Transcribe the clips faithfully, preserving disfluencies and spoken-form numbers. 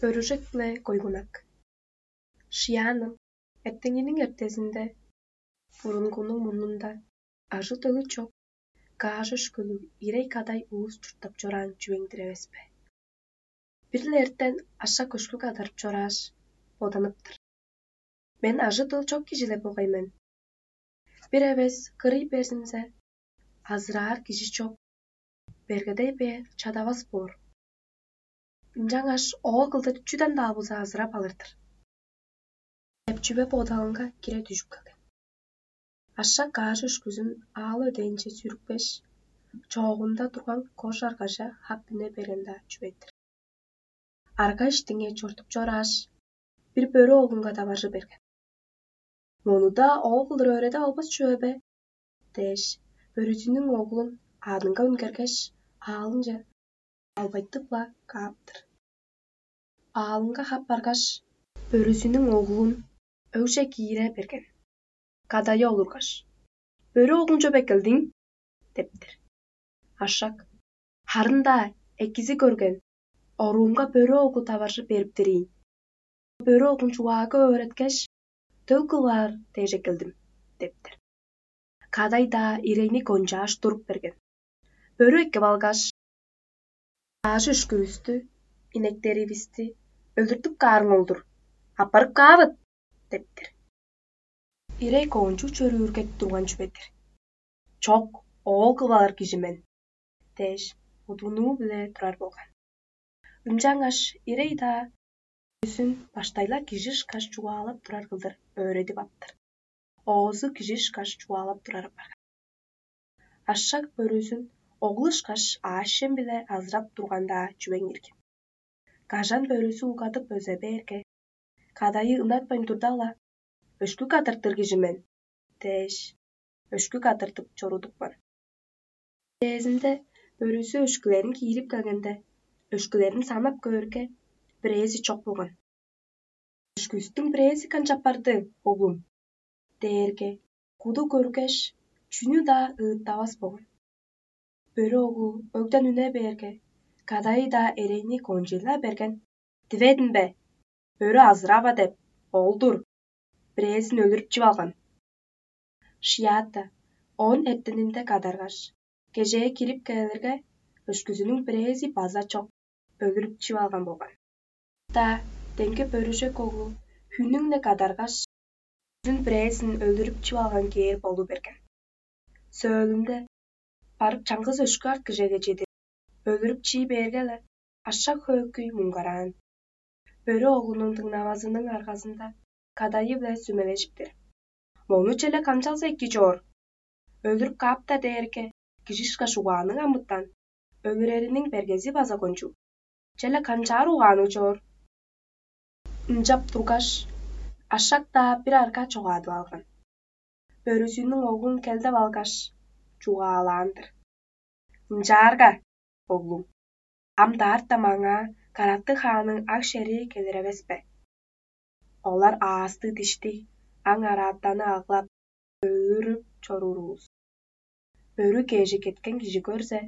Бөрүжек-биле койгунак. Шияным, эртеңиниң эртезинде бурунгунуң мурнунда ажы-төлү чок, каш өшкүлүг ирей кадай улус чурттап чораан чүвең-дир эвес бе? Бир-ле эртен ашак өшкү кадарып чорааш, боданыптыр: «Мен ажы-төл чок кижи-ле болгай мен. Бир эвес кырый берзинзе, азыраар кижи чок, бергедей бээр чадавас боор. Ынчангаш оол кылдыр чүден-даа болза азырап алыр-дыр» — деп, чүве бодалынга кире дүжүп келген. Ашак каш өшкүзүн аал өдээнче сүрүпкеш, чоогунда турган кожар кажа хап үне берген-даа чүве-дир. Арга иштинге чортуп чорааш, бир бөрү оглунга таваржы берген. «Мону-даа оол кылдыр өөредип албас чүве бе?» — дээш, бөрүзүнүң оглун аъдынга үнгергеш, аалынче албайтып-ла кааптыр. Аалынга хап баргаш, бөрүзүнүң оглун өгже киире берген. Кадайы олургаш: «Бөрү оглун чоп эккелдиң?» — дептир. Ашак: «Харын-даа экизи көрген, оруумга бөрү оглу таваржы бериптир ийин. Бөрү оглун чугаага өөреткеш, төл кылыр дээш эккелдим» — дептир. Кадай-даа ирейни кончааш туруп берген. Бөрү эккеп алгаш: «Аажы өшкүвүстү, инектеривисти өлүртүп каарың ол-дур. Аппарып каавыт» — дептир. Ирей коончуг чөрүүрге турган чүве-дир. «Чок, оол кылып алыр кижи мен» — дээш, удунуу-биле турар болган. Ынчангаш ирей-даа бөрүзүн баштай-ла кижи ышкаш чугаалап турар кылдыр өөредип аптыр. Оозу кижи ышкаш чугаалап турар апарган. Ашак бөрүзүн оглу ышкаш аъш-чем-биле азырап турган-даа чүвең иргин. Кажан бөрүзү угадып өзеп бээрге, кадайы ынатпайн турда-ла: «Өшкү кадыртыр кижи мен» — дээш, өшкү кадыртып чорудупкан. Дээрзинде бөрүзү өшкүлерин киирип келгенде, өшкүлерин санап көөрге, бирээзи чок болган. «Өшкүвүстүң бирээзи канчап барды, оглум?» — дээрге, куду көргеш, чүнү-даа ыыттавас болган. Бөрү оглу өгден үне бээрге, кадайы-даа эрейни кончуй-ла берген: «Диведим бе? Бөрү азырава деп, ол-дур. Бирээзин өлүрүп чип алган». Шиаата оон эртенинде кадаргаш, кежээ кирип кээрге, өшкүзүнүң бирээзи база чок, өлүрүп чип алган болган. Даа демги бөрүжек оглу хүннүң-не кадаргаш, бөрүзүн бирээзин өлүрүп чип алган кээр болу берген. Сөөлүнде барып чаңгыс өшкү арткыжеге чедир өлүрүп чии бээрге-ле, ашак хөөкүй муңгараан. Бөрү оглунуң дыңнавазының аргазында кадайы-биле сүмележиптир: «Мону черле канчалза эки чоор? Өлүрүп каап-даа дээрге, кижи ышкаш угаанныг амытан, өлүрериниң бергези база кончуг. Черле канчаар угаанныг чоор?» Ынчап тургаш, ашак-даа бир арга чогаадып алган. Бөрүзүнүң оглун келдеп алгаш, чугаалаан-дыр: «Ынчаарга, оглум, ам даарта маңаа карактыг хаанның аг-шерии келир эвес бе? Олар аастыг-диштиг аң-араатаны аглап, өлүрүп чоруур улус. Бөрү кежи кеткен кижи көрзе,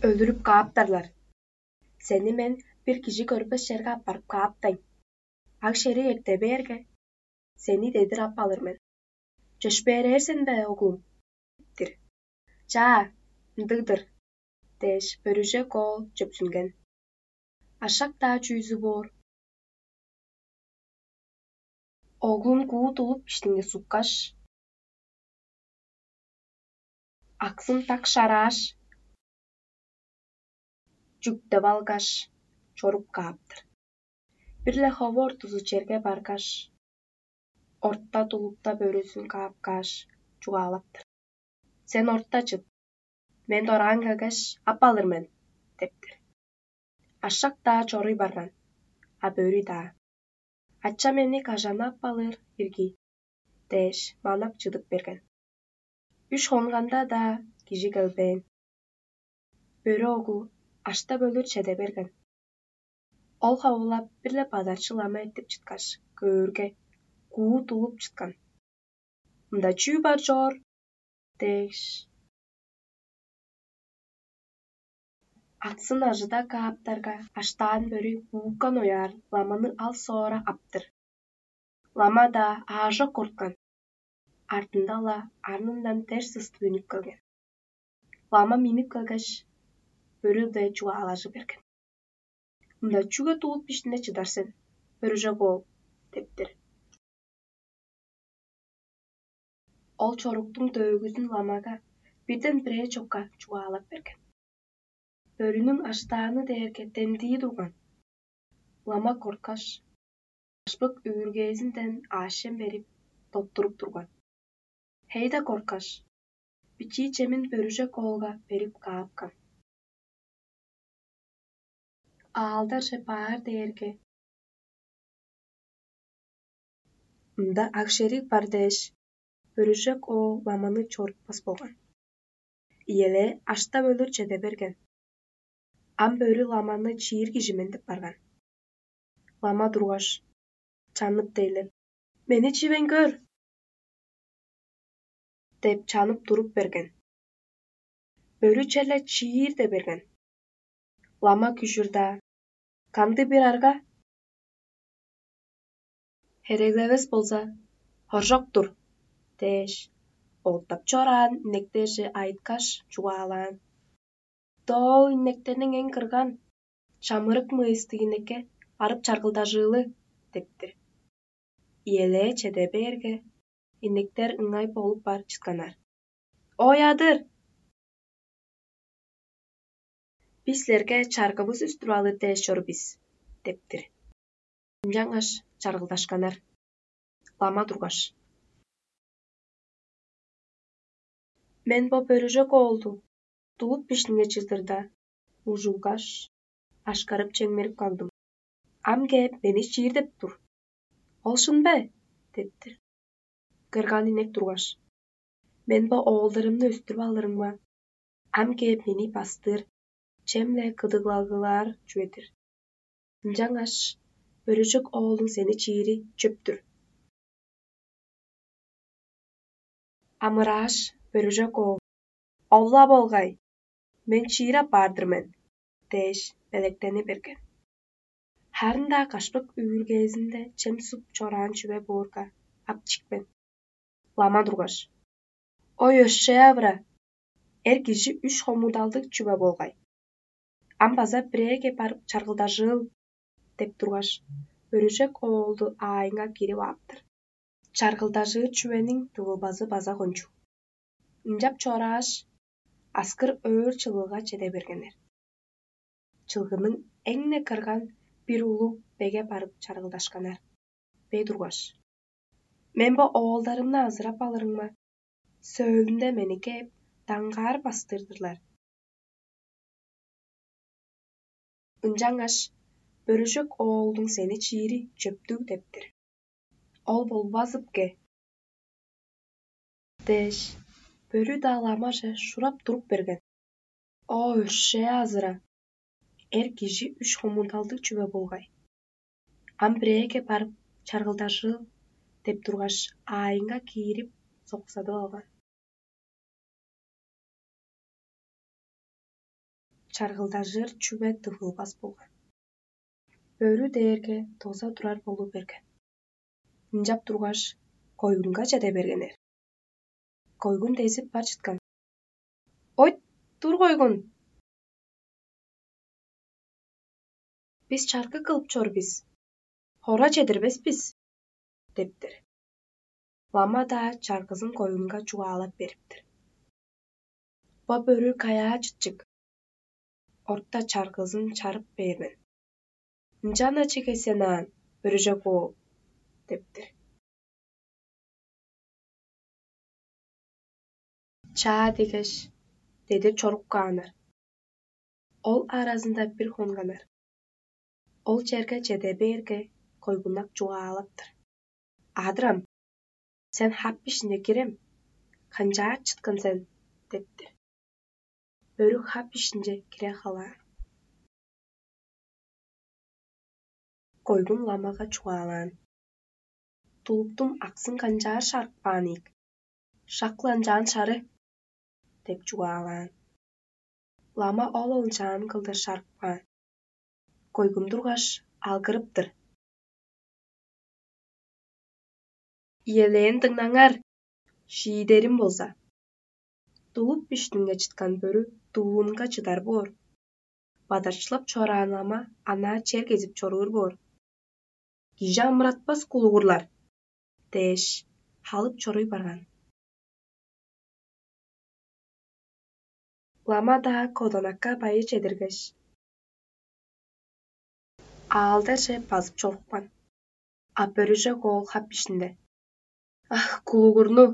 өлүрүп кааптарлар. Сени мен бир кижи көрбес черге аппарып кааптайн. Аг-шерии эрте бээрге, сени дедир ап алыр мен. Чөпшээрээр сен бе, оглум?» — дептир. «Чаа, ындыг-дыр» — дээш, бөрүжек оол чөпшүнген. Ашак-даа чүүзү боор. Оглун куу тулуп иштинге суккаш, аксын так шарааш, чүктеп алгаш, чоруп кааптыр. Бир-ле хову ортузу черге баргаш, орта тулупта бөрүзүн каапкааш, чугаалаптыр: «Сен орта чыт, мен дораан келгеш, ап алыр мен» — дептир. Ашак-даа чоруй барган, а бөрү-даа: «Ача мени кажан ап алыр ирги?» — дээш, манап чыдып берген. Үш хонганда-даа кижи келбээн. Бөрү оглу аштап өлүр чеде берген. Ол ховулап бир-ле бадарчы лама эртип чыткаш, көөрге, куу тулуп чыткан. «Мында чүү бар чоор?» — дээш, Аксын ажыда кааптарга, аштаан бөрү бууккан ояар ламаны ал соора аптыр. Лама-даа аажок корткан. Артында-ла арнындан дер сыстып үнүп келген. Лама миннип келгеш, бөрү-биле чугаалажы берген: «Мында чүге тулуп бишнине чыдар сен, бөрүжек оол?» — дептир. Ол чоруктуң төөгүзүн ламага бирден бирээ чокка чугаалап берген. Бөрүнүң аштааны дээрге демдии турган. Лама корткаш, ашпык үүргээзинден аъш-чем берип, доттуруп турган. Хей-даа корткаш, бичии чемин бөрүжек оолга берип каапкан. Аалдарже баар дээрге, мында ак-шериг бар дээш, бөрүжек оол ламаны чорутпас болган. Ийелээ аштап өлүр чеде берген. Ам бөрү ламаны чиир кижи мен деп барган. Лама тургаш, чанып дейлеп: «Мени чивейн көр!» — деп чанып туруп берген. Бөрү черле чиир де берген. Лама күжүр-даа: «Кандыг-бир арга? Хереглевес болза, хоржок-тур» — дээш, оттап чораан инектерже айыткаш, чугаалаан: «Доо инектерниң эң кырган, чамырык мыйыстыг инекке барып чаргылдажыылы» — дептир. Ийелээ чеде бээрге, инектер ыңай болуп бар чытканнар. «Ой, адыр! Бис силерге чаргывыс үстүп алыр дээш чор бис» — дептир. Ынчангаш чаргылдашканнар. Лама тургаш: «Мен бо бөрүжек оолду тулуп бишнине чыдырда, ужулгаш, ашкарып чемнерип кагдым. Ам кээп, мени чиир деп тур. Ол шын бе?» — дептир. Кырган инек тургаш: «Мен бо оолдарымны өстүрүп алырымга, ам кээп мени бастыр, чем-не кыдыглагылаар чүве-дир. Ынчангаш бөрүжек оолдуң сени чиири чөп-түр». Амырааш, бөрүжек оол: «Ол-ла болгай, мен чиир апаар-дыр мен» — дээш, белектени берген. Харын-даа кашпык үүргээзинде чем суп чораан чүве боорга, ап чикпен. Лама тургаш: «Ой, өршээ-авыра! Эр кижи үш хомудалдыг чүве болгай. Ам база бирээге барып чаргылдажыыл» — деп тургаш, бөрүжек оолду аайынга киирип ааптыр. Чаргылдажыыр чүвениң тывылбазы база кончуг. Ынчап чорааш, аскыр өөр чылгыга чеде бергеннер. Чылгының эң-не кырган бир улуг беге барып чаргылдашканнар. Бе тургаш: «Мен бо оолдарымны азырап алырымга, сөөлүнде мени кээп, даңгаар бастыр-дырлар. Ынчангаш бөрүжек оолдуң сени чиири чөптүг» — дептир. Ол болбазыпке дээш, бөрү-даа ламаже шурап туруп берген. О, өршээ азыра! Эр кижи үш хомундалдыг чүве болгай. Ам бирээге барып, чаргылдажыыл деп тургаш, аайынга киирип, соксадып алган. Чаргылдажыр чүве тывылбас болган. Бөрү дээрге доза турар болу берген. Ынчап тургаш, койгунга чеде бергеннер. Койгун дезип бар чыткан. «Ойт, тур, койгун! Бис чаргы кылып чор бис, хора чедирбес бис» — дептер. Лама-даа чаргызын койгунга чугаалап бериптер. Бо бөрү каяа чытчык? Орта чаргызын чарып бээр мен. Ынчан ачы кесен аан, бөрүжек оол, дептер. Чаа дегеш, деде чорук кааннар. Ол аразында бир хонганнар. Ол черге чеде бээрге, койгуннак чугаалаптыр. «Адырам, сен хап ишинче кирем, канчаар чыткан сен?» — дептир. Бөрү хап ишинче кире халаан. Койгун ламага чугаалаан: «Тулуптуң аксын канчаар шарып каан ийик? Шак-ла ынчаан шары» — деп чугаалаан. Лама ол олчаан кылдыр шарып каан. Койгун тургаш, алгырыптыр: «Иелээн дыңнаңар, шиидерим болза: тулуп биштинге чыткан бөрү дуулунга чыдар боор. Бадарчылап чораан лама анаа чер кезип чоруур боор. Кижи амыратпас кулугурлар» — дээш, халып чоруй барган. Лама-даа коданакка байы чедиргеш, аалдаже базып чорупкан. А бөрүже коол хап ишинде: «Ах, кулугурну!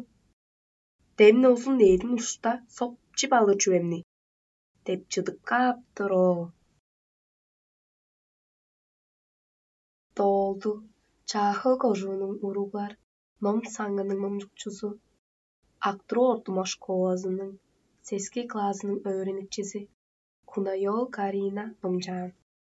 Демни узун ээдин ушта соп чип алыр чүвемни» — деп чыдып кааптыр оо. Доолду, Чаахыл кожуунуң уруглар ном саңының номчукчузу, Актыроо ортумак школазының сески классының өөреникчизи Кунайол Карина номчаан.